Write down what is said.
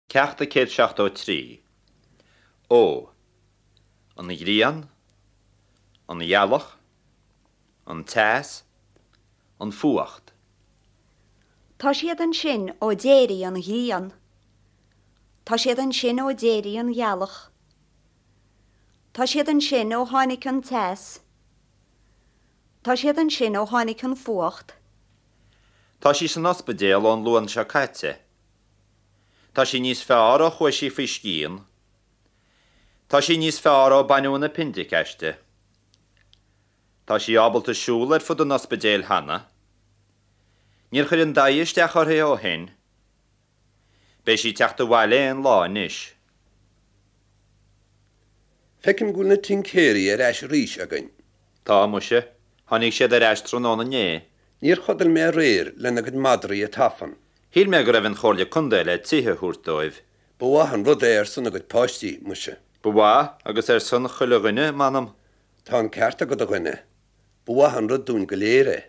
Ceacht 173. Ó. An ghrian, an ghealach, an teas, an fuacht. Tá siad ansin ó d'éirigh an ghrian. Tá siad ansin ó d'éirigh an ghealach. Tá siad ansin ó tháinig an teas. Tá siad ansin ó tháinig an fuacht. Tá sí san ospidéal ón Luan seo caite. Tá sí níos fearr ó chuaigh sí faoi scian. Tá sí níos fearr ó baineadh an aipindic aisti. Tá sí ábalta siúl ar fud an ospidéil cheana. Níor chuir an daigh isteach uirthi ó shin. Beidh sí ag teacht abhaile aon lá anois. Feicim go bhfuil na tincéirí ar ais arís againn. Tá, muise. Tháinig siad ar ais tráthnóna inné. Níor chodail mé aréir lena gcuid madraí ag tafann. Shíl mé go raibh an Chomhairle Contae le tithe a thabhairt dóibh. Ba mhaith an rud é ar son a gcuid páistí, muise. Ba mhaith, agus ar son chuile dhuine, m'anam. Tá an ceart agat, a dhuine. Ba mhaith an rud dúinn go léir é.